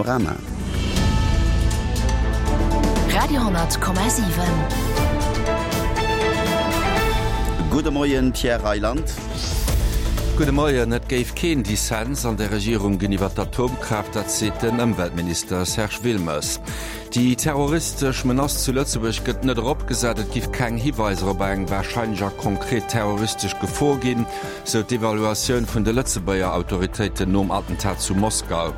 Panorama. Radio,7. Gudde Moien, Pierre Reyland. Gudde Moien. Et géif keen Dissens an der Regierung ginn iwwer d'Atomkraaft, dat seet den Ëmweltminister Serge Wilmes. Déi terroristesch Menace zu Lëtzebuerg gëtt net eropgesat. Et giff keng Hiweiser op eng warscheinlech a konkret terroristesch Gefor ginn, sou d'Evaluatioun vun de Lëtzebuerger Autoritéiten nom Attentat zu Moskau.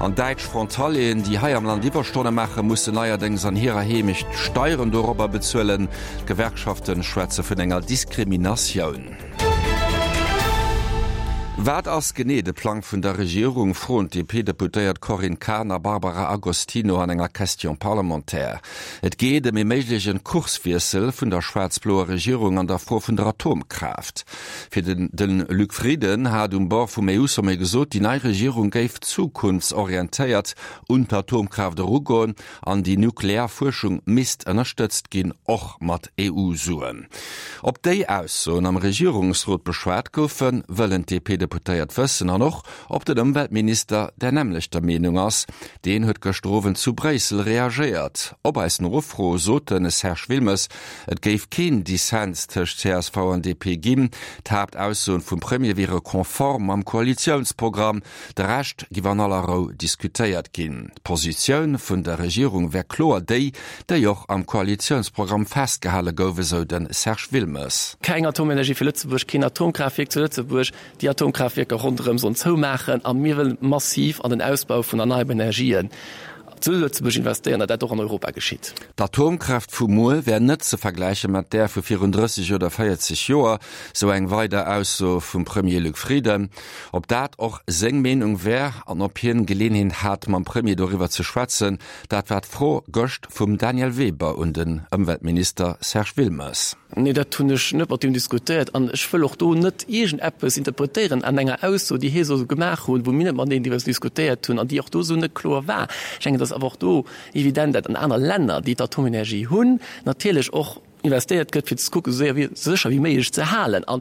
An däitsch Frontalieren, déi hei am Land Iwwerstonne maachen, mussen neierdéngs an hirer Heemecht Steieren dorobber bezuelen. D'Gewerkschafte schwätze vun enger Diskriminatioun. Wat ass genee de Plang vun der Regierung, froen d'DP-Deputéiert Corinne Cahen a Barbara Agostino an enger Question parlementaire. Et geet ëm ee méiglechen Kurswiessel vun der schwaarz-bloer Regierung an der Fro vun der Atomkraaft. Fir den de Luc Frieden hat um Bord vum EU-Sommet gesot, déi nei Regierung géif zukunftsorientéiert un d'Atomkraaft erugoen An déi nuklear Fuerschung misst ënnerstëtzt ginn, och mat EU-Suen. Ob déi Aussoen am Regierungsrot beschwat goufen, wëllen d'DP-Deputéiert wëssen. An och, ob den Ëmweltminister där nämmlechter Meenung ass. Deen huet gëschter Owend zu Bréissel reagéiert. Op eis Nofro sot de Serge Wilmes, et géif keen Dissens tëscht csv an DP ginn. D'Haaptaussoen vum Premier wiere konform mam Koalitiounsprogramm. De Rescht giff an aller Rou diskutéiert ginn. D'Positioun vun der Regierung wär kloer déi, déi och am Koalitiounsprogramm festgehale gouf, esou de Serge Wilmes. Keng Atomenergie fir Lëtzebuerg, keen Atomkraaftwierk zu Lëtzebuerg, déi Atomkraaftwierker ronderëm sollen zoumaachen a mir wëllen massiv an den Ausbau vun erneierbaren Energien zu Lëtzebuerg investéieren, datt dat och an Europa geschitt. D'Atomkraaft vu muer wär net ze vergläiche mat där vu virun 30 oder 40 Joer, sou eng weider Ausso vum Premier Luc Frieden. Ob dat och seng Meenung wär an ob hien Geleenheet hat mam Premier doriwwer ze schwätzen, dat war d'Fro gëscht vum Daniel Weber un den Ëmweltminister Serge Wilmes. Nee, dat hunn ech net mat him diskutéiert an ech wëll och do net iergendeppes interpretéieren an enger Ausso, déi hie soll gemaach hunn, wou mir net mateneen driwwer diskutéiert hunn an déi och do esou net kloer war. Ech denken, et ass awer och do evident, dat an aner Länner, déi d'Atomenergie hunn, natierlech och investéiert gëtt, fir ze kucken, esou séier wéi, esou sécher wéi méiglech ze halen. A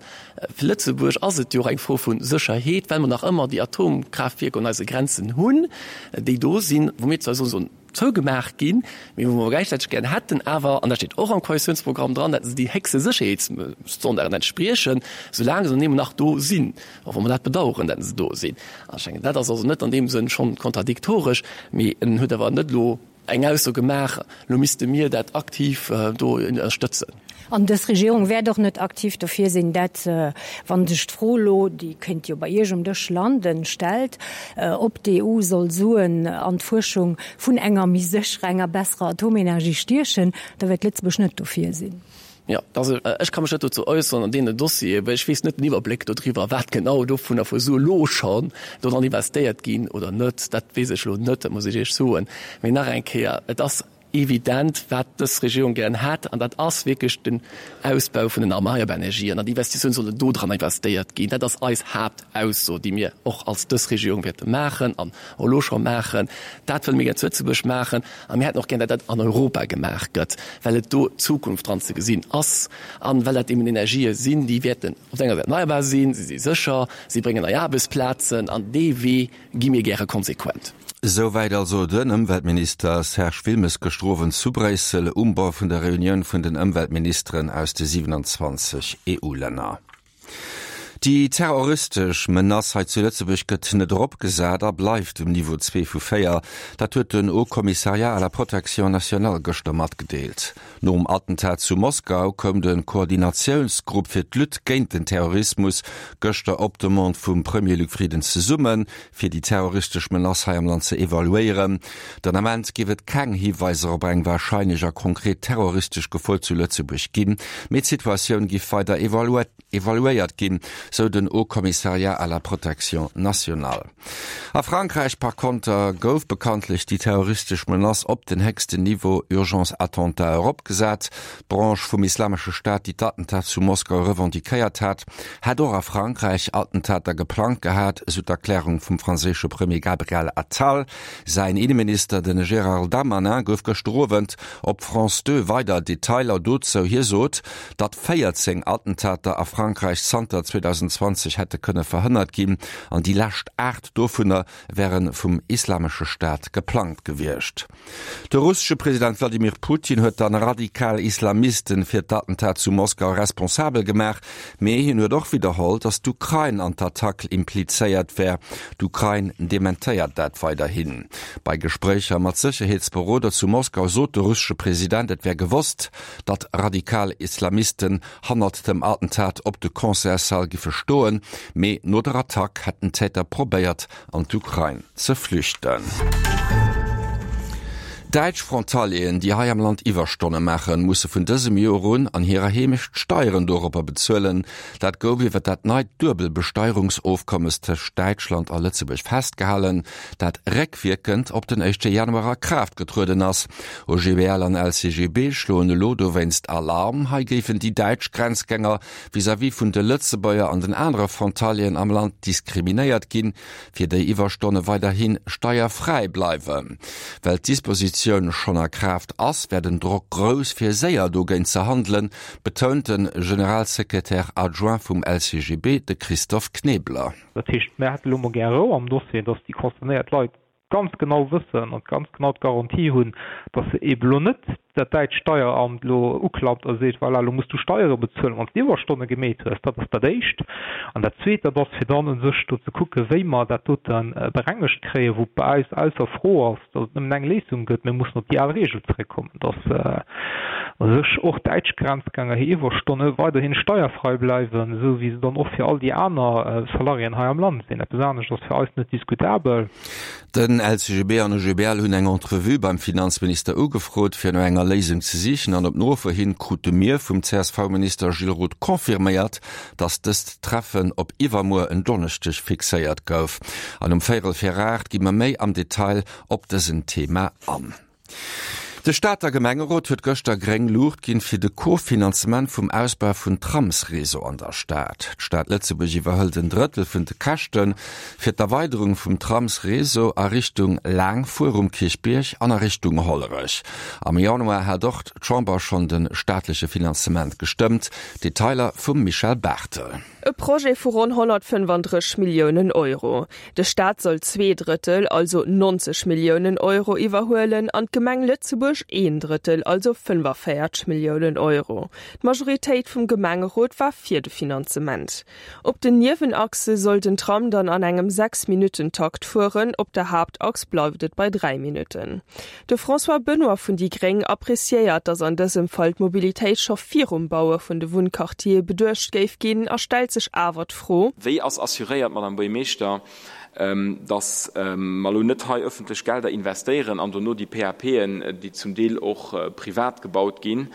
fir Lëtzebuerg ass et jo och eng Fro vu Sécherheet, well mer nach ëmmer déi Atomkraaftwierker un eise Grenzen hunn, déi do sinn, wou mir zwar soen, sollen zougemaach ginn, mee wou mer gläichzäiteg gären hätten awer, an dat steet och am Koalitiounsprogramm dran, datt se déi héchste Sécherheetsstandarden entspriechen, soulaang se dann eben nach do sinn, och wa mer dat bedauern, datt se do sinn. An ech denken, dat ass also net an deem Sënn schonn kontradiktoresch, mee en huet awer net elo eng Ausso gemaach, elo misste mir dat aktiv do ënnerstëtzen. An dës Regierung wäert och net aktiv dofir sinn, dat, wa sech d'Fro elo, déi kéint jo bei Iech um Dësch landen, stellt, ob d'EU soll Suen an d'Fuerschung vun enger méi sécherer, enger besserer Atomenergie stiechen, da wäert Lëtzebuerg net dofir sinn. Jo, also ech ka mech net dozou äusseren an deenen Dossieren, well ech weess net den Iwwerbléck dodriwwer, wat genau dovunner vu Sue elo schonn dodran investéiert ginn oder net. Dat weess ech elo net, dat muss ech Iech soen. Mee nach eng Kéier, et ass evident, wat dës Regierung gären hätt, an dat ass wierklech den Ausbau vun den erneierbaren Energien. An déi Investitioune sollen dodran investéiert ginn. Dat ass eis Haaptausso, déi mir och als dës Regierung wäerte maachen an och elo scho maachen. Dat wëlle mir gär zu Lëtzebuerg maachen. A mir hätten och gär, datt dat an Europa gemaach gëtt, well et do d'Zukunft dran ze gesinn ass an well dat eben Energië sinn, déi wäerten op der enger Säit erneierbar sinn, si si sécher, si bréngen nei Aarbechtsplazen an dee Wee gi mir gäre konsequent. Souwäit also den Ëmweltminister Serge Wilmes gëschter Owend zu Bréissel um Bord vun der Reunioun vun den Ëmweltministeren aus de 27 EU-Länner. Déi terroristesch Menace hei zu Lëtzebuerg gëtt net eropgesat a bleift um Niveau 2 vu 4. Dat huet den Haut Commissariat à la protection nationale gëschter matgedeelt. Nom Attentat zu Moskau koum de Koordinatiounsgrupp fir d'Lutte géint den Terrorismus gëschter op Demande vum Premier Luc Frieden zesummen, fir déi terroristesch Menace hei am Land ze evaluéieren. Den Ament géif et keng Hiweiser op eng warscheinlech a konkret terroristesch Gefor zu Lëtzebuerg ginn, mee d'Situatioun giff weider evaluéiert ginn, sou den Haut Commissariat à la protection nationale. A Frankräich par konter gouf bekanntlech déi terroristesch Menace op den héchsten Niveau Urgence Attentat eropgesat. D'Branche vum Islamesche Staat, déi d'Attentat zu Moskau revendiquéiert hat, hätt och a Frankräich Attentater geplangt gehat, esou d'Erklärung vum franséische Premier Gabriel Attal. Säin Inneminister, de Gérald Darmanin, gouf gëschter Owend op France 2 weider Detailer dozou. Hie sot, datt 14 Attentater a Frankräich zanter 2015. 2020 hätte kënne verhënnert ginn an déi lescht 8 dovunner wäre vum Islamesche Staat geplangt gewiescht. De russesche President Wladimir Putin huet dann radikal Islamisten fir d'Attentat zu Moskau responsabel gemaach, mee hien huet och widderholl, datt d'Ukrain an d'Attack implizéiert wär. D'Ukrain dementéiert dat weiderhin. Bei Gespréicher mat Sécherheetsberoder zu Moskau sot de russesche President, et wär gewosst, datt radikal Islamisten hannert dem Attentat op de Concertssall giffe stoen, mee no der Attack hätten d'Täter probéiert, an d'Ukrain ze flüchten. Däitsch Frontalieren, déi hei am Land Iwwerstonne maachen, musse vun dësem Joer un an hirer Heemecht Steieren doropper bezuelen. Dat gouf iwwer dat neit Duebelbesteierungsofkommes tëscht Däitschland a Lëtzebuerg festgehalen, dat réckwierkend op den éischte Januar a Kraaft getrueden ass. OGBL an LCGB schloen elo dowéinst Alarm. Hei géifen déi däitsch Grenzgänger vis-à-vis vun de Lëtzebuerger an den anere Frontalieren am Land diskriminéiert ginn, fir déi Iwwerstonne weiderhi steierfräi bleiwen. Well d'Dispositioun schonn a Kraaft ass, wär den Drock grouss, fir séier dogéint ze handelen, betount de Generalsekretär adjoint vum LCGB, de Christophe Knebler. Dat heescht, mär hätte lo mol gär Rou am Dossier, dass déi concernéiert Leit ganz genau wëssen an ganz genau d'Garantie hunn, dass se eebe lo net dat däitscht Steieramt elo uklappt a seet, voilà, elo muss du Steiere bezuelen, wann s de Iwwerstonne gemeet hues. Dat ass dat Éischt. An dat Zweet, dat ass, fir dann u sech do ze kucken, wéi mer dat dote berengegt kréien, wou bei eis ausser Fro ass, dass et nëmmen eng Léisung gëtt, Mir mussen op déi al Regel zrëckkommen, dass u sech och däitsch Grenzgänger hir Iwwerstonne weiderhi steierfrei bleiwen, esou wéi se dann och fir all déi aner Salariéen hei am Land sinn. Eppes anescht ass fir eis net diskutabel. Den LCGB an OGBL hunn eng Entrevue beim Finanzminister ugefrot, fir no enger Léisung ze sichen. An op Nofro hin krute mir vum CSV-Minister Gilles Roth confirméiert, datt dëst Treffen op iwwermuer en Donneschdeg fixéiert gouf. An um véierel vir 8 gi mer méi am Detail op dësen Thema an. De Stater Gemengerot huet gëschter gréng Luucht ginn fir de Co-Finanzement vum Ausbau vun Tramsreseau an der Stad. D'Stad Lëtzebuerg iwwerhëlt en Drëttel vun de Käschte fir d'Erweiderung vum Tramsreseau a Richtung Laangfuer um Kierchbierg an a Richtung Hollerech. Am Januar hat och d'Chamber schonn de staatleche Finanzement gestëmmt. Detailer vum Michèle Barthel. E Projet vu ronn 135 Milliounen Euro. De Staat soll zweeDrëttel, also 90 Milliounen Euro iwwerhuelen an d'Gemeng Lëtzebuerg een Drëttel, also 45 Milliounen Euro. D'Majoritéit vum Gemengerot war fir de Finanzement. Op den Niewenachse soll den Tram dann an engem 6 Minutten-Takt fueren, op der Haaptachs bleift et bei 3 Minutten. De François Benoy vun déi Gréng appreciéiert, datt an dësem Fall d'Mobilitéit scho virum Baue vun de Wunnquartiere beduecht géif ginn a stellt sech awer d'Fro, Wéi ass assuréiert, Madame Buergermeeschter, datt mer elo net hei öffentlech Gelder investéieren an dono déi PAPen, déi zum Deel och privat gebaut ginn,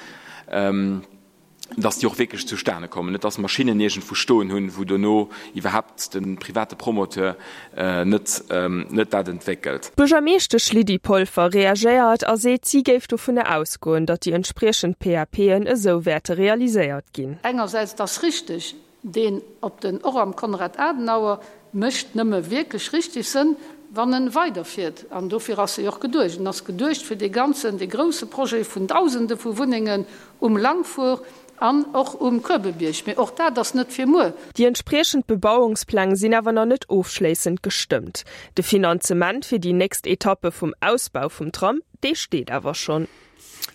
dass déi och wierklech zustane kommen, net dass mer Schinnen iergendwou stoen hunn, wou dono iwwerhaapt de private Promoteur net net dat entwéckelt. D'Buergermeeschtesch Lydie Polfer reagéiert a seet, si géif dovunner ausgoen, datt déi entspriechend PAPen esou wäerte realiséiert ginn. Engersäits, et ass richteg, deen op den och am Konrad Adenauer mécht nëmme wierklech richtig Sënn, wann en weiderfiert. An dofir ass e jo och geduecht. En ass geduecht fir dee ganzen, dee grouse Projet vun Dausende vu Wunnengen um Langfuhr an och um Kuebebierg. Mee och dat ass net fir muer. Déi entspriechend Bebauungspläng sinn awer nach net ofschléissend gestëmmt. De Finanzement fir déi nächst Etappe vum Ausbau vum Tram, dee steet awer schonn.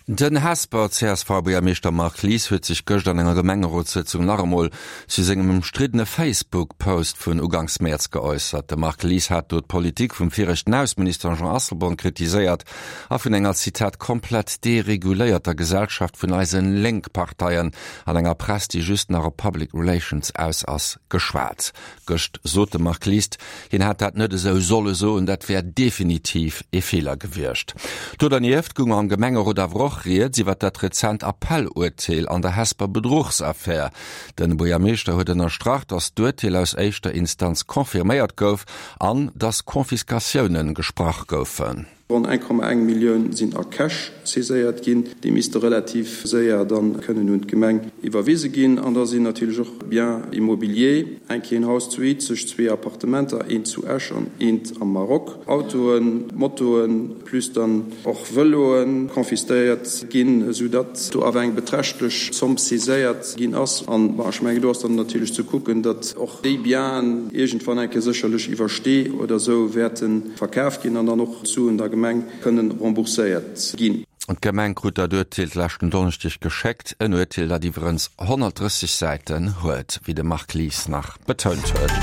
Den Hesper CSV-Buergermeeschter Marc Lies huet sech gëscht an enger Gemengerotssëtzung nach emol zu sengem ëmstriddene Facebook-Post vun uganks Mäerz geäussert. De Marc Lies hat do d'Politik vum viregten Ausseminister Jean Asselborn kritiséiert a vun enger, Zitat, komplett dereguléierter Gesellschaft vun eise Lénkparteien an enger Press, déi just nach op Public Relations aus ass, geschwat. Gëscht sot de Marc List, hien hätt dat net esou solle soen, dat wär definitiv ee Feeler gewiescht. Do dernieft goung am Gemengerot awer och rieds iwwer dat rezent Appell-Urteel an der Hesper Bedruchsaffär. Den Buergermeeschter huet ënnerstrach, datt d'Urteel aus éischter Instanz confirméiert gouf an datt Confiscatioune gesprach goufen. Ronn 1,1 Millioun sinn a Cash saiséiert ginn. Déi misste relativ séier dann kënnen un d'Gemeng iwwerwise ginn. An da sinn natierlech och Biens immobiliers, eng Kéier en Haus zu Izeg, zwee Appartementer, eent zu Esch an eent am Maroc, Autoen, Motoen, plus dann och Vëloe confisquéiert ginn, esou datt do awer eng beträchtlech Zomm saiséiert ginn ass. An, bon, ech mengen, do ass dann natierlech ze kucken, datt och déi Bienen iergendwann eng Kéier sécherlech iwwer Stee oder esou wäerte verkaf ginn an dann och d'Suen der Gemeng kënnen rembourséiert ginn. D'Gemeng krut dat Urteel d'leschten Donneschdeg geschéckt, en Urteel, dat iwwerens 130 Säiten huet, wéi de Marc Lies nach betount huet.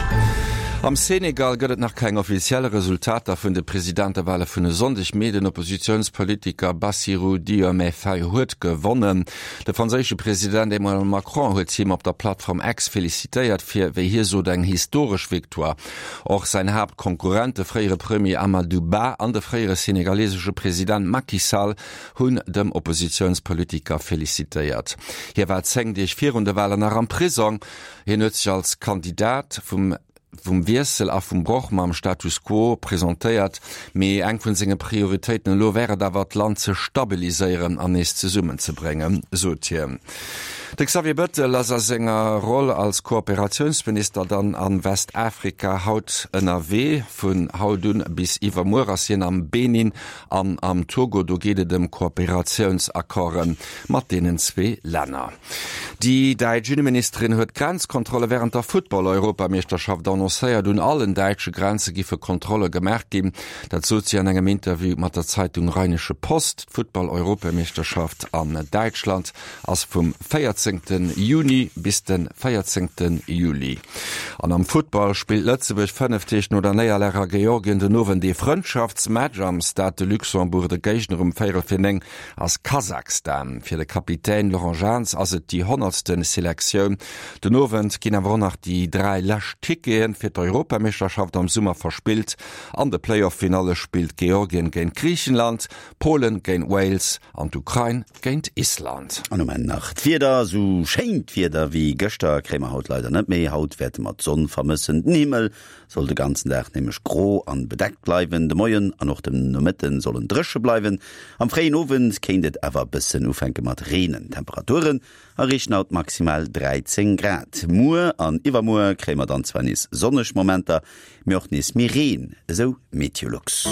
Am Senegal gëtt et nach keng offiziell Resultater vun de Presidentewale vun e Sonndeg, mee den Oppositiounspolitiker Bassirou Diomaye Faye huet gewonnen. De franséische President Emmanuel Macron huet him op der Plattform X felicitéiert fir, wéi hie sot, eng historesch Victoire. Och säin Haaptkonkurrent, de fréiere Premier Amadou Ba an de fréiere senegalesesche President Macky Sall hunn dem Oppositiounspolitiker felicitéiert. Hie war 10 Deeg virun de Walen nach am Prisong. Hien huet sech als Kandidat vum vum Wiessel a vum Broch mam Status quo presentéiert, mee eng vun senge Prioritéiten elo wär et awer, d'Land ze stabiliséieren an nees zesummenzebréngen, sot hien. De Xavier Bettel ass a senger Roll als Kooperatiounsminister dann a Westafrika haut ënnerwee. Vun haut un bis iwwermuer ass hien am Benin an am Togo. Do geet et ëm Kooperatiounsaccorde mat deenen zwee Länner. Déi däitsch Inneministerin huet Grenzkontrolle wärend der Football-Europameeschterschaft annoncéiert. Un allen däitsche Grenze giffe Kontrolle gemaach ginn. Dat sot si an engem Interview mat der Zeitung Rheinische Post. D'Football-Europameeschterschaft an Däitschland ass vum 14 Juni bis de 14 Juli. An am Futtball spillt Lëtzebuerg 5 Deeg no der Néierlag a Georgien den Owend ee Frëndschaftsmatch am Stade de Luxembourg. De Géigner um véierel fir 9 ass Kasachstan. Fir de Kapitän Laurent Jans ass et déi honnertste Selektioun. Den Owend ginn awer och nach déi 3 lescht Tickete fir d'Europameeschterschaft am Summer verspillt. An de Playoff-Finalle spillt Georgien géint Griichenland, Polen géint Wales an d'Ukrain géint Island. An um Enn nach d'Wieder, Sou schéint Wieder wéi gëschter kréie mer haut leider net méi. Haut wäerte mer d'Sonn vermëssen, den Himmel soll de ganzen Dag nämlech gro an bedeckt bleiwen. De Moien an och den Nomëtten sollen dréche bleiwen. Am fréien Owend kéint et awer bëssen ufänke mat reenen. D'Temperaturen erreechen haut maximal 13 Grad. Muer an iwwermuer kréie mer dann zwar nees sonneg Momenter, mee och nees méi Reen, esou Meteolux.